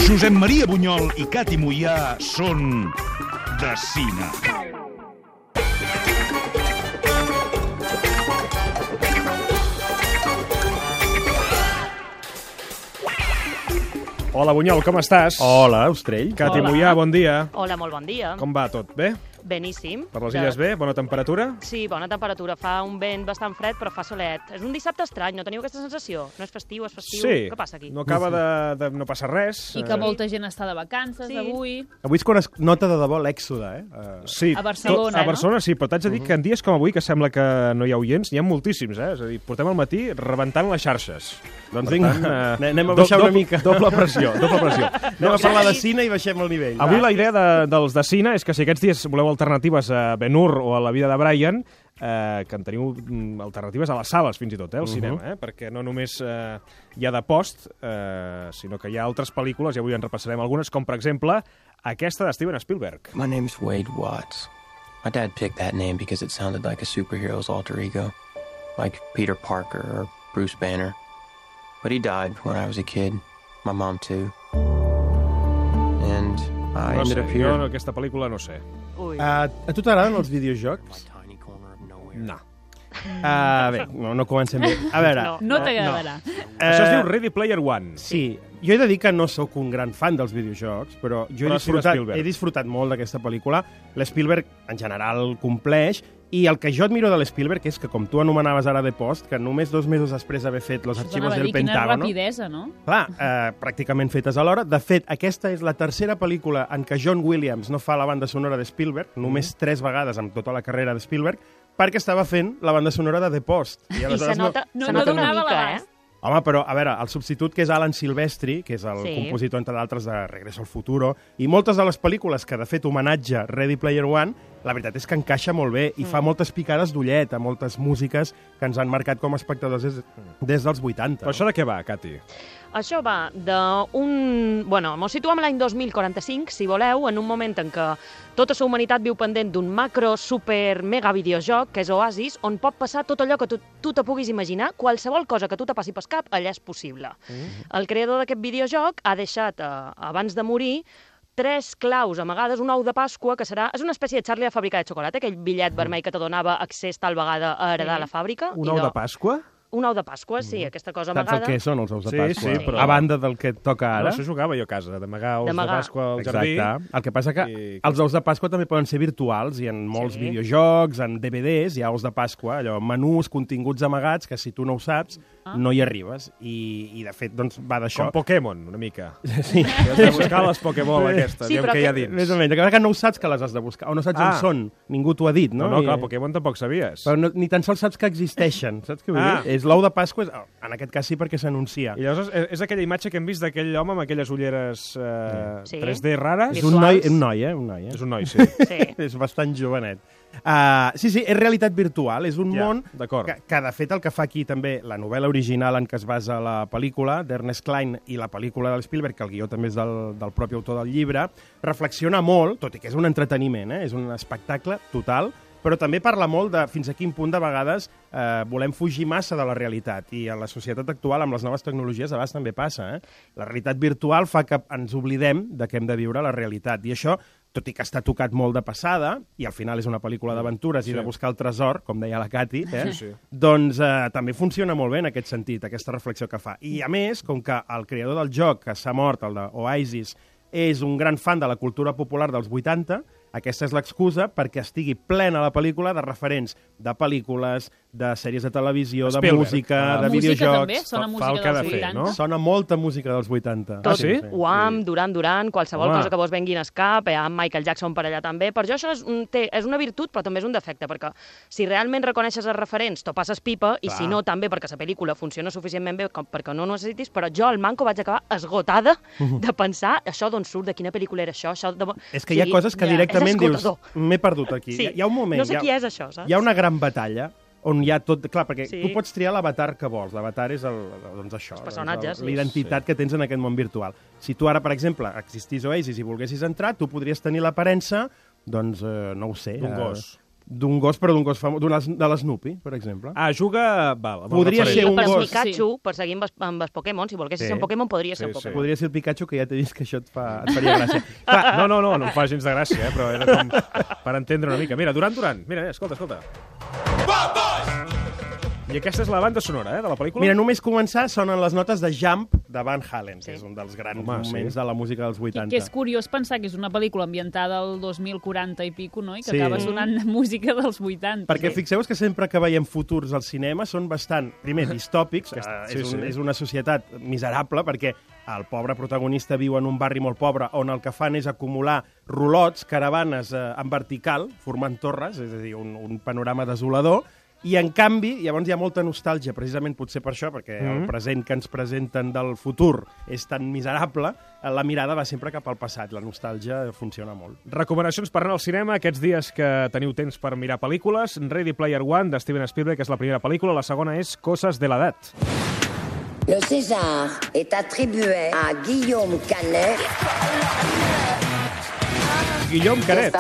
Josep Maria Bunyol i Cati Moià són de cine. Hola, Bunyol, com estàs? Hola, Austrell. Cati Moià, bon dia. Hola, molt bon dia. Com va tot? Bé? Beníssim. Per les illes bé? Bona temperatura? Sí, bona temperatura. Fa un vent bastant fred, però fa solet. És un dissabte estrany, no teniu aquesta sensació? No és festiu, és festiu? Sí. Què passa aquí? No acaba de no passar res. I que molta gent està de vacances avui. Avui és quan es nota de debò l'èxode, Sí, A Barcelona, a Barcelona sí, però t'haig de dir que en dies com avui, que sembla que no hi ha oients, n'hi ha moltíssims, És a dir, portem al matí rebentant les xarxes. Doncs Per vinga, tant, anem a baixar una mica. Doble pressió, doble pressió. Anem a parlar de cine i baixem el nivell. Avui la idea dels de cine és que si aquests dies voleu alternatives a Ben-Hur o a La vida de Brian, que en teniu alternatives a les sales, fins i tot, al cinema, perquè no només hi ha de post, sinó que hi ha altres pel·lícules, i avui en repassarem algunes, com per exemple aquesta de Steven Spielberg. My name's Wade Watts. My dad picked that name because it sounded like a superhero's alter ego, like Peter Parker or Bruce Banner. But he died when I was a kid. My mom too. And I No ended sé, up here. jo aquesta pel·lícula no sé. Ui. A tu t'agraden els videojocs? Tiny corner of nowhere. No. Bé, no comencem bé. A veure, No. No t'agradarà. Això es diu Ready Player One. Sí, jo he de dir que no sóc un gran fan dels videojocs, però jo Però sí de Spielberg. he disfrutat molt d'aquesta pel·lícula. L'Spielberg, en general, compleix, i el que jo admiro de l'Spielberg és que, com tu anomenaves ara de post, que només 2 mesos després d'haver fet Los archivos del Quina Pentágono... rapidesa, no? Clar, pràcticament fetes alhora. De fet, aquesta és la tercera pel·lícula en què John Williams no fa la banda sonora de Spielberg, només 3 vegades en tota la carrera de Spielberg, perquè estava fent la banda sonora de The Post. I se aleshores nota, no se nota una donava mica, l'abast. Home, però, a veure, el substitut que és Alan Silvestri, que és el Sí. compositor, entre d'altres, de Regreso al Futuro, i moltes de les pel·lícules que, de fet, homenatge Ready Player One, la veritat és que encaixa molt bé i fa moltes picades d'ullet a moltes músiques que ens han marcat com a espectadors des dels 80. Però això de què va, Cati? Això va d'un... Bueno, mos situem l'any 2045, si voleu, en un moment en què tota la humanitat viu pendent d'un macro, super, mega videojoc, que és Oasis, on pot passar tot allò que tu te puguis imaginar, qualsevol cosa que tu te passi pel cap, allà és possible. El creador d'aquest videojoc ha deixat, abans de morir, 3 claus amagades, un ou de Pasqua, que serà... És una espècie de Charlie de fàbrica de xocolata, aquell bitllet vermell que te donava accés tal vegada a heredar la fàbrica. Un ou de Pasqua? Un ou de Pasqua, sí, aquesta cosa Saps amagada. el que són els ous de Sí, Pasqua? sí, però- A banda del que et toca No, ara. això jugava jo a casa, d'amagar ous de D'amagar. Pasqua al jardí. Exacte. El que passa que I- els ous de Pasqua també poden ser virtuals i en molts Sí. videojocs, en DVDs, hi ha ous de Pasqua, allò, menús, continguts amagats, que si tu no ho saps, no hi arribes. I de fet, doncs, va d'això. Com Pokémon, una mica. Sí. Has de buscar les Pokéball aquestes, Sí, aviam però què hi ha que- dins. Més o menys. Que no ho saps que les has de buscar, o no saps on són. Ningú t'ho ha dit, no? No, clar, I- Pokémon tampoc sabies. Però no, ni tan sols saps que existeixen, saps què vull dir? És l'ou de Pasqua, en aquest cas sí perquè s'anuncia. I llavors és aquella imatge que hem vist d'aquell home amb aquelles ulleres Sí. 3D rares. És un noi, un noi. És un noi, sí. Sí. És bastant jovenet. Sí, és realitat virtual, és un Ja, món d'acord. que, de fet, el que fa aquí també la novel·la original en què es basa la pel·lícula, d'Ernest Cline, i la pel·lícula de Spielberg, que el guió també és del propi autor del llibre, reflexiona molt, tot i que és un entreteniment, és un espectacle total, però també parla molt de fins a quin punt de vegades volem fugir massa de la realitat, i a la societat actual, amb les noves tecnologies, a vegades també passa. La realitat virtual fa que ens oblidem de que hem de viure la realitat, i això, tot i que està tocat molt de passada, i al final és una pel·lícula d'aventures i de buscar el tresor, com deia la Cati, Sí. doncs també funciona molt bé en aquest sentit, aquesta reflexió que fa. I a més, com que el creador del joc, que s'ha mort, el d'Oasis, és un gran fan de la cultura popular dels 80, aquesta és l'excusa perquè estigui plena la pel·lícula de referents de pel·lícules, de sèries de televisió, de Spielberg. música, de Música videojocs... també? Sona fa el música que ha de dels fer, 80? no? Sona molta música dels 80. Tot, sí? Wham, Duran, qualsevol Home. cosa que vos vengui en cap, amb Michael Jackson per allà també. Per jo això és una virtut, però també és un defecte, perquè si realment reconeixes els referents, t'ho passes pipa, i si no, també perquè la pel·lícula funciona suficientment bé com perquè no ho necessitis, però jo al manco vaig acabar esgotada de pensar això d'on surt, de quina pel·lícula era això. És que hi ha coses que directament és dius, esgotador. m'he perdut aquí. Sí. Hi ha un moment... No sé qui és això, saps? Hi ha una gran batalla on hi ha tot... Clar, perquè Sí. tu pots triar l'avatar que vols. L'avatar és doncs això, Els personatges, sí. l'identitat que tens en aquest món virtual. Si tu ara, per exemple, existís Oasis i volguessis entrar, tu podries tenir l'aparença, doncs, no ho sé... D'un gos. d'un gos, però d'un gos famós, de l'Snoopy, per exemple. Juga... Val, Podria ser un Per gos. Pikachu, per seguir amb els Pokémon, si volguessis ser un Pokémon, podria ser un Pokémon. Podria ser el Pikachu, que ja t'he vist que això et faria gràcia. Clar, no em fa gens de gràcia, però era com per entendre una mica. Mira, Duran, mira, escolta. I aquesta és la banda sonora, de la pel·lícula? Mira, només començar sonen les notes de Jump de Van Halen, que és un dels grans moments de la música dels 80. Que és curiós pensar que és una pel·lícula ambientada al 2040 i pico, no? I que acaba sonant música dels 80. Perquè fixeu-vos que sempre que veiem futurs al cinema són bastant, primer, distòpics, és una societat miserable, perquè el pobre protagonista viu en un barri molt pobre on el que fan és acumular rolots, caravanes en vertical, formant torres, és a dir, un panorama desolador. I, en canvi, llavors hi ha molta nostàlgia, precisament potser per això, perquè el present que ens presenten del futur és tan miserable, la mirada va sempre cap al passat. La nostàlgia funciona molt. Recomanacions per anar al cinema aquests dies que teniu temps per mirar pel·lícules. Ready Player One, de Steven Spielberg, que és la primera pel·lícula. La segona és Coses de l'edat. Le César est attribué à Guillaume Canet. Guillaume Canet.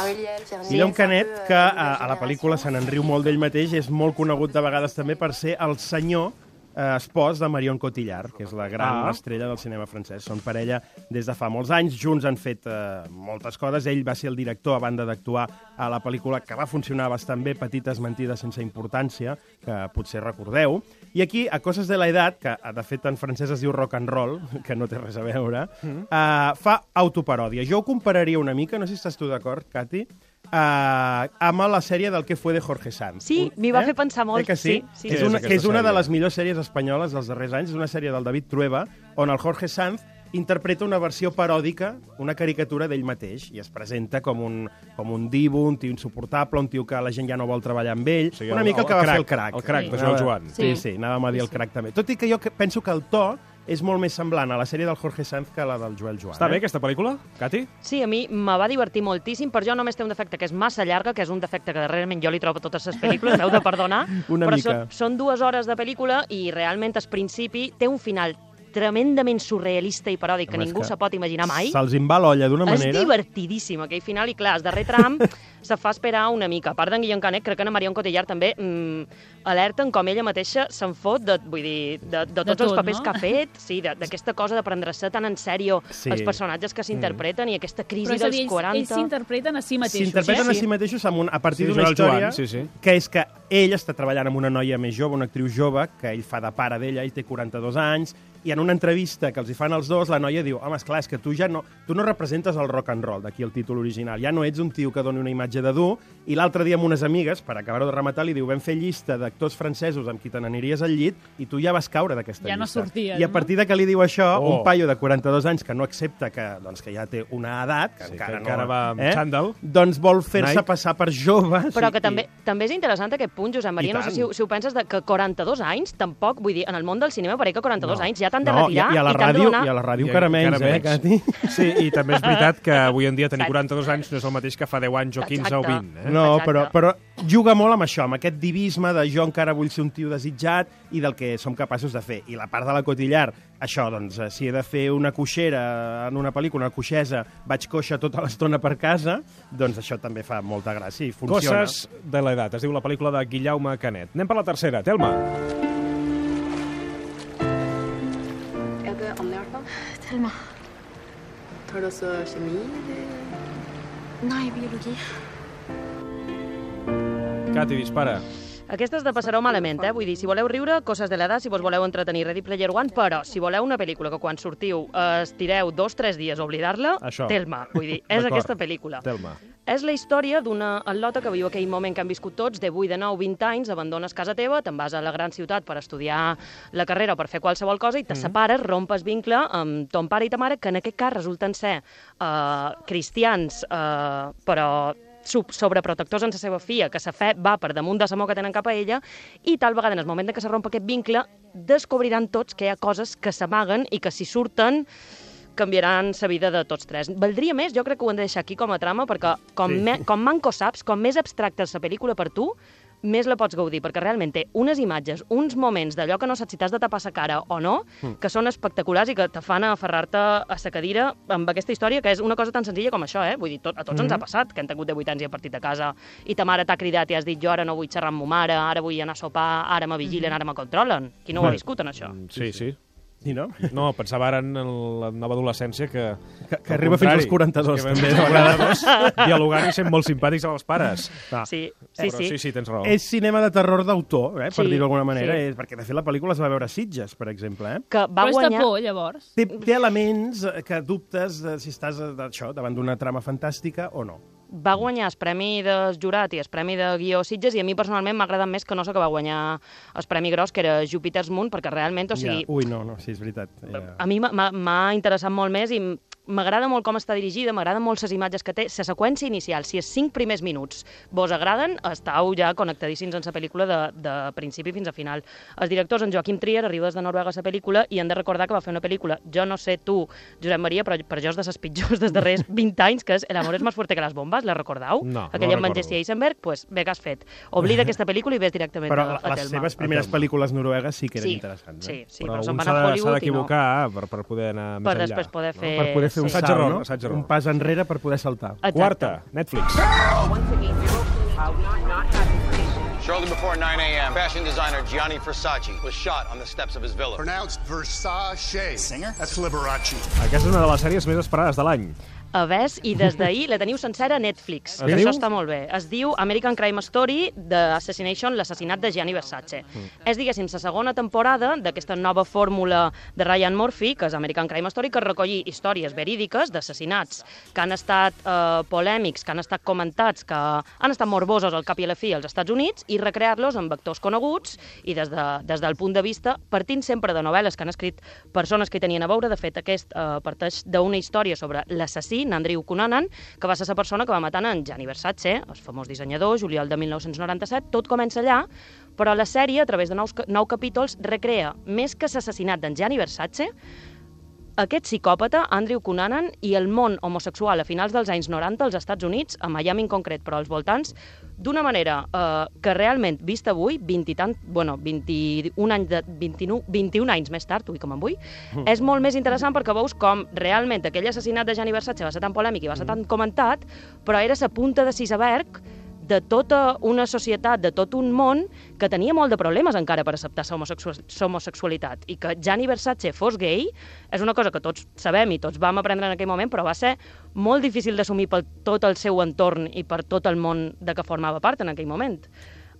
Guillaume Canet, que a la pel·lícula se n'enriu molt d'ell mateix, és molt conegut de vegades també per ser el senyor espòs de Marion Cotillard, que és la gran estrella del cinema francès. Són parella des de fa molts anys, junts han fet moltes coses. Ell va ser el director, a banda d'actuar a la pel·lícula, que va funcionar bastant bé, Petites mentides sense importància, que potser recordeu. I aquí, a Coses de la Edat, que de fet en francès es diu rock and roll, que no té res a veure, fa autoparòdia. Jo ho compararia una mica, no sé si estàs tu d'acord, Cati, amb la sèrie del Que fue de Jorge Sanz. Sí, m'hi va fer pensar molt. Que sí? Que és una de les millors sèries espanyoles dels darrers anys. És una sèrie del David Trueba, on el Jorge Sanz interpreta una versió paròdica, una caricatura d'ell mateix, i es presenta com un divo, un tio insuportable, un tio que la gent ja no vol treballar amb ell, una mica el que va fer el Crac. El Crac, de Joan Joan. Sí, anàvem a dir el Crac també. Tot i que jo penso que el to és molt més semblant a la sèrie del Jorge Sanz que a la del Joel Joan. Està bé aquesta pel·lícula, Cati? Sí, a mi me va divertir moltíssim. Per jo només té un defecte que és massa llarga, que és un defecte que darrerament jo li trobo a totes les pel·lícules, m'heu de perdonar. Però són 2 hores de pel·lícula i realment al principi té un final tremendament surrealista i paròdic que ningú se pot imaginar mai. Se'ls en va l'olla d'una manera. És divertidíssim aquell final i clar, el darrer tram se fa esperar una mica. A part d'en Guillaume Canet, crec que en Marion Cotillard també alerten com ella mateixa se'n fot de tots els papers que ha fet, d'aquesta cosa de prendre-se tan en sèrio els personatges que s'interpreten i aquesta crisi dels 40. Ells s'interpreten a si mateixos. S'interpreten a si mateixos a partir d'una història que és que ell està treballant amb una noia més jove, una actriu jove, que ell fa de pare d'ella, ell té 42 anys, i en una entrevista que els hi fan els dos, la noia diu, home, esclar, és que tu no representes el rock and roll, d'aquí el títol original, ja no ets un tio que doni una imatge de dur, i l'altre dia amb unes amigues, per acabar-ho de rematar, li diu, vam fer llista d'actors francesos amb qui te n'aniries al llit, i tu ja vas caure d'aquesta llista. Ja no sorties, I a partir de que li diu això, un paio de 42 anys que no accepta que ja té una edat, que encara va amb xandall, doncs vol fer-se passar per jove. Però que també és interessant aquest punt, Josep Maria, no sé si ho penses, que 42 anys, tampoc, vull dir, en el món del cinema pareix que 42 anys ja t'han de retirar i a la ràdio encara menys, Cati? Sí, i també és veritat que avui en dia tenir 42 anys no és el mateix que fa 10 anys o 15 o 20. No, però juga molt amb això, amb aquest divisme de jo encara vull ser un tio desitjat i del que som capaços de fer. I la part de la Cotillard, això, doncs, si he de fer una coixera en una pel·lícula, una coixesa, vaig coixa tota l'estona per casa, doncs això també fa molta gràcia i funciona. Coses de l'edat, es diu la pel·lícula de Guillaume Canet. Anem per la tercera, Telma. Telma. Tar du også kjemi? Nei, biologi. Cati, dispara. Aquesta és de passar-ho malament, vull dir, si voleu riure, Coses de l'edat, si vos voleu entretenir, Ready Player One, però si voleu una pel·lícula que quan sortiu estireu 2-3 dies a oblidar-la, Telma, vull dir, és aquesta pel·lícula. Telma. És la història d'una atleta que viu aquell moment que han viscut tots, de 8, de 9, 20 anys, abandones casa teva, te'n vas a la gran ciutat per estudiar la carrera o per fer qualsevol cosa i te separes, rompes vincle amb ton pare i ta mare, que en aquest cas resulten ser cristians, però sobreprotectors en la seva filla, que la fe va per damunt de l'amor que tenen cap a ella, i tal vegada en el moment que se romp aquest vincle descobriran tots que hi ha coses que s'amaguen i que si surten canviaran la vida de tots tres. Valdria més, jo crec que ho hem de deixar aquí com a trama, perquè com manco saps, com més abstracta és la pel·lícula per tu, més la pots gaudir, perquè realment té unes imatges, uns moments d'allò que no saps si t'has de tapar sa cara o no, que són espectaculars i que te fan aferrar-te a sa cadira amb aquesta història, que és una cosa tan senzilla com això, Vull dir, a tots ens ha passat, que hem tingut 18 anys i hem partit a casa i ta mare t'ha cridat i has dit jo ara no vull xerrar amb ma mare, ara vull anar a sopar, ara me vigilen, ara me controlen. Qui no ho ha viscut, en això? Sí. I no? No, pensava ara en la nova adolescència que arriba fins als 42, també. Fins als 42, dialogant i sent molt simpàtics amb els pares. Sí. Sí, tens raó. És cinema de terror d'autor, per Sí, dir-ho d'alguna manera, sí. perquè de fet la pel·lícula es va veure a Sitges, per exemple. Que va Però guanyar... està por, llavors. Té elements que dubtes de si estàs davant d'una trama fantàstica o no. Va guanyar el premi del jurat i el premi de guió Sitges, i a mi personalment m'ha agradat més que no sé que va guanyar el premi gros, que era Júpiter's Moon, perquè realment, o sigui... Ui, no, sí, és veritat. A mi m'ha interessat molt més i m'agrada molt com està dirigida, m'agraden molt les imatges que té. La seqüència inicial, si els 5 primers minuts vos agraden, estàu ja connectadíssims en la pel·lícula de principi fins a final. Els directors, en Joachim Trier, arriba des de Noruega a la pel·lícula i han de recordar que va fer una pel·lícula, jo no sé tu, Josep Maria, però per jo és de les pitjors dels darrers 20 anys, que és El amor és más fuerte que las bombas, la recordeu? No, Aquella no amb en Jesse Eisenberg, doncs bé que has fet. Oblida aquesta pel·lícula i ves directament Però a Telma. les seves primeres pel·lícules noruegues sí que eren interessants. Sí, Però però se'n un van a Hollywood i no. s'ha d'equivocar per poder anar més Per enllà. després poder fer... Per poder fer un Sí. salt, no? Assaig error. Un pas enrere per poder saltar. Exacte. Quarta, Netflix. Shortly before 9 a.m., fashion designer Gianni Versace was shot on the steps of his villa. Pronounced Versace. Singer? That's Liberace. Aquesta és una de les sèries més esperades de l'any. A ves, i des d'ahir la teniu sencera a Netflix, que diu? això està molt bé. Es diu American Crime Story, The Assassination, l'assassinat de Gianni Versace. És, diguéssim, la segona temporada d'aquesta nova fórmula de Ryan Murphy, que és American Crime Story, que recolli històries verídiques d'assassinats que han estat polèmics, que han estat comentats, que han estat morbosos al cap i a la fi als Estats Units, i recrear-los amb actors coneguts i des del punt de vista, partint sempre de novel·les que han escrit persones que hi tenien a veure. De fet, aquest parteix d'una història sobre l'assassí, Andrew Cunanan, que va ser la persona que va matar en Gianni Versace, el famós dissenyador, juliol de 1997. Tot comença allà, però la sèrie, a través de 9 capítols, recrea més que l'assassinat d'en Gianni Versace, aquest psicòpata, Andrew Cunanan, i el món homosexual a finals dels anys 90 als Estats Units, a Miami en concret, però als voltants, d'una manera que realment, vist avui, 21 anys més tard, ui, com em vull, és molt més interessant perquè veus com realment aquell assassinat de Gianni Versace va ser tan polèmic i va ser tan comentat, però era la punta de l'iceberg de tota una societat, de tot un món que tenia molt de problemes encara per acceptar la homosexualitat. I que Gianni Versace fos gay és una cosa que tots sabem i tots vam aprendre en aquell moment, però va ser molt difícil d'assumir per tot el seu entorn i per tot el món de què formava part en aquell moment.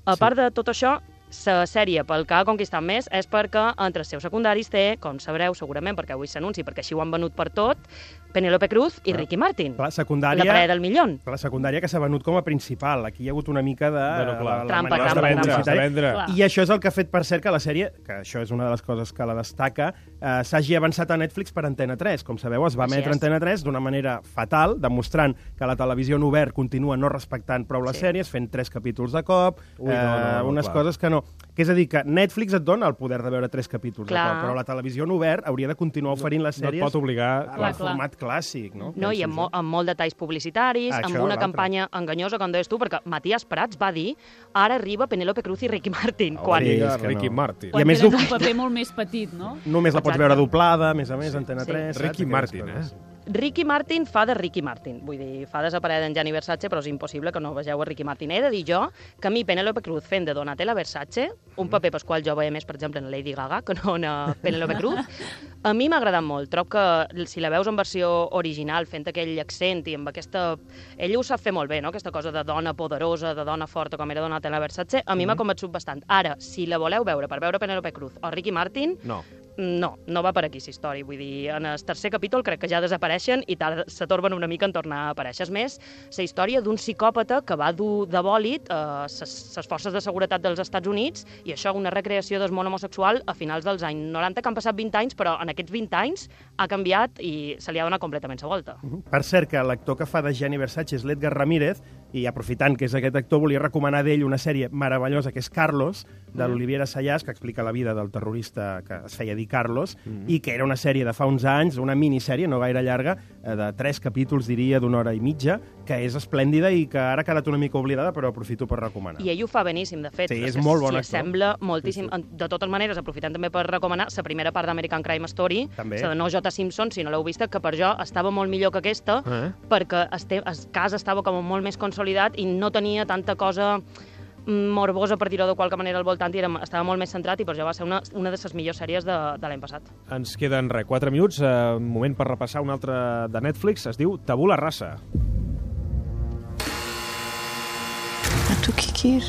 A part de tot això, la sèrie pel que ha conquistat més és perquè entre els seus secundaris té, com sabreu segurament, perquè avui s'anunci, perquè així ho han venut per tot, Penélope Cruz i Ricky Martin. La secundària, la parella del millón. La secundària que s'ha venut com a principal. Aquí hi ha hagut una mica de... Trampa. I això és el que ha fet, per cert, que la sèrie, que això és una de les coses que la destaca, s'hagi avançat a Netflix per Antena 3. Com sabeu, es va emetre Antena 3 d'una manera fatal, demostrant que la televisió en obert continua no respectant prou les sèries, fent 3 capítols de cop, unes coses que no... Que és a dir, que Netflix et dona el poder de veure 3 capítols de cop, però la televisió en obert hauria de continuar oferint les sèries no et pot obligar al format clàssic, no? No, i amb molt detalls publicitaris, amb una campanya enganyosa, com deies tu, perquè Matías Prats va dir ara arriba Penélope Cruz i Ricky Martin. Ricky Martin. Quan tenen un paper molt més petit, no? Només la pots veure doblada, a més, Antena 3. Ricky Martin, Ricky Martin fa de Ricky Martin. Vull dir, fa desaparèixer en Gianni Versace, però és impossible que no vegeu a Ricky Martin. He de dir jo que a mi Penélope Cruz fent de Donatella Versace, un paper pel qual jo veia més, per exemple, en Lady Gaga, que no en Penélope Cruz, a mi m'ha agradat molt. Trobo que si la veus en versió original, fent aquell accent i amb aquesta... Ella ho sap fer molt bé, no?, aquesta cosa de dona poderosa, de dona forta, com era Donatella Versace, a mi m'ha convençut bastant. Ara, si la voleu veure per veure Penélope Cruz o Ricky Martin... No va per aquí, la història. Vull dir, en el tercer capítol crec que ja desapareixen i se torben una mica en tornar a aparèixer. És més, la història d'un psicòpata que va dur de bòlit les forces de seguretat dels Estats Units, i això, una recreació del món homosexual a finals dels anys 90, que han passat 20 anys, però en aquests 20 anys ha canviat i se li ha donat completament la volta. Per cert, que l'actor que fa de Gianni Versace és l'Edgar Ramírez, i aprofitant que és aquest actor, volia recomanar d'ell una sèrie meravellosa, que és Carlos, de l'Olivier Assayas, que explica la vida del terrorista que es feia dir Carlos, i que era una sèrie de fa uns anys, una minissèrie, no gaire llarga, de 3 capítols, diria, d'1 hora i mitja, que és esplèndida i que ara ha quedat una mica oblidada, però aprofito per recomanar. I ell ho fa beníssim, de fet. Sí, és molt bon actor. S'hi assembla moltíssim. Sí. De totes maneres, aprofitant també per recomanar la primera part d'American Crime Story, la de no J. Simpson, si no l'heu vista, que per jo estava molt millor que aquesta, perquè el cas estava com molt més consolidat i no tenia tanta cosa morbosa, per dir-ho de qualque manera, al voltant, i estava molt més centrat, i per això va ser una de les millors sèries de l'any passat. Ens queden 4 minuts, moment per repassar una altra de Netflix, es diu Tabula Rasa. Tu kikir.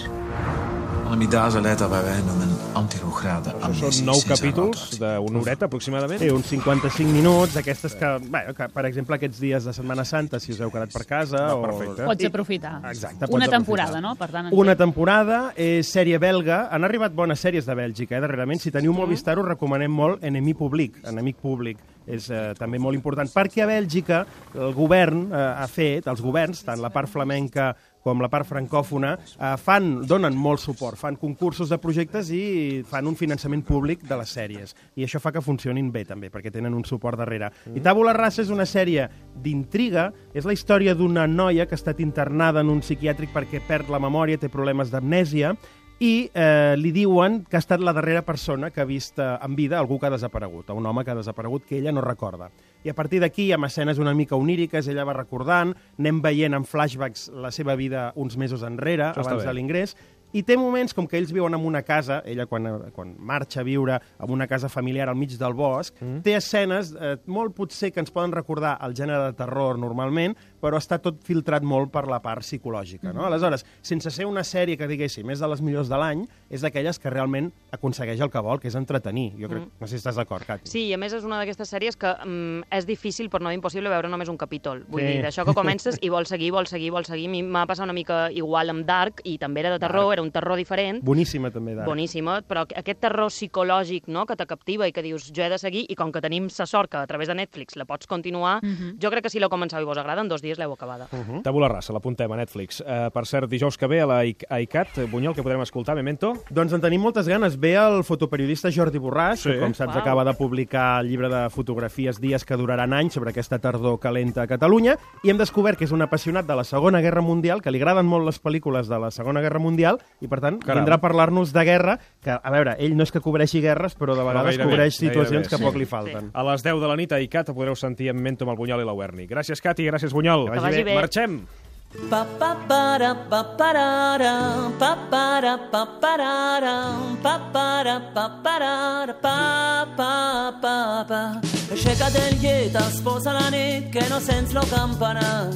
Amidasa leta vaveno men antirograda. Són 9 capítols d'una horeta, aproximadament. Sí, uns 55 minuts, aquestes que, per exemple, aquests dies de Setmana Santa, si us heu quedat per casa... Perfecte. Pots aprofitar. Exacte. Una temporada, no? Per tant, una temporada, és sèrie belga. Han arribat bones sèries de Bèlgica, darrerament. Si teniu Movistar, us recomanem molt Enemic Públic. És també molt important, perquè a Bèlgica el govern ha fet, els governs, tant la part flamenca com la part francòfona, donen molt suport, fan concursos de projectes i fan un finançament públic de les sèries. I això fa que funcionin bé, també, perquè tenen un suport darrere. I Tabula Rasa és una sèrie d'intriga, és la història d'una noia que ha estat internada en un psiquiàtric perquè perd la memòria, té problemes d'amnèsia, i li diuen que ha estat la darrera persona que ha vist en vida algú que ha desaparegut, un home que ha desaparegut que ella no recorda. I a partir d'aquí, amb escenes una mica oníriques, ella va recordant, anem veient en flashbacks la seva vida uns mesos enrere, abans de l'ingrés, i té moments com que ells viuen en una casa, ella quan marxa a viure en una casa familiar al mig del bosc, té escenes molt potser que ens poden recordar el gènere de terror normalment, però està tot filtrat molt per la part psicològica. No? Aleshores, sense ser una sèrie que diguéssim és de les millors de l'any, és d'aquelles que realment aconsegueix el que vol, que és entretenir. Jo crec, no sé si estàs d'acord, Cati. Sí, i a més és una d'aquestes sèries que és difícil, però no impossible, veure només un capítol. Vull dir, d'això que comences i vols seguir. A mi m'ha passat una mica igual amb Dark, i també era de terror, era un terror diferent. Boníssima, també, Dark. Boníssima, però aquest terror psicològic, no?, que te captiva i que dius, jo he de seguir, i com que tenim la sort que a través de Netflix la pots continuar, jo crec que si l'heu començat i vos agrada, en 2 dies l'heu acabada. Tabula Rasa, l'apuntem a Netflix. Per cert, dijous que ve a la ICAT, Bunyol, que podrem escoltar, Memento? Doncs en tenim moltes ganes. Ve el fotoperiodista Jordi Borràs, que com saps acaba de publicar el llibre de fotografies Dies que duraran anys sobre aquesta tardor calenta a Catalunya, i hem descobert que és un apassionat de la Segona Guerra Mundial, que li agraden molt les pel·lícules de la Segona Guerra Mundial, i per tant vindrà a parlar-nos de guerra, que, a veure, ell no és que cobreixi guerres, però de vegades cobreix situacions que poc li falten. A les 10 de la nit a ICAT podreu sentir en Memento amb el Bunyol i la Werni. Gràcies, Cati, gràcies, Bunyol. Que vagi bé. Marxem! Aixeca't el llit, esposa la nit, que no sents lo campanar.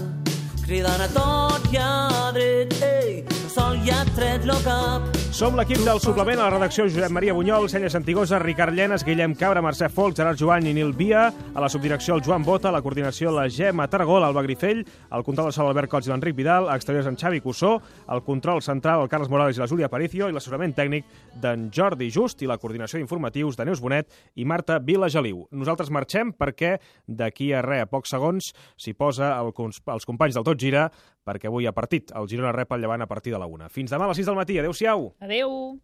Cridant a tot i a dret, ei, el sol ja ha tret lo cap. Som l'equip del suplement, a la redacció Josep Maria Bunyol, Senya Santigosa, Ricard Llenes, Guillem Cabra, Mercè Folk, Gerard Joan i Nil Via, a la subdirecció el Joan Bota, a la coordinació la Gemma Tarragó, l'Alba Grifell, al control de sol Albert Cots i l'Enric Vidal, a exteriors en Xavi Cussó, al control central el Carles Morales i la Júlia Aparicio, i l'assessorament tècnic d'en Jordi Just i la coordinació d'informatius de Neus Bonet i Marta Vilageliu. Nosaltres marxem perquè d'aquí a pocs segons s'hi posa els companys del Tot Gira, perquè avui hi ha partit. El Girona rep el Llevant a partir de la 1. Fins demà a les 6 del matí. Adéu-siau. Adéu.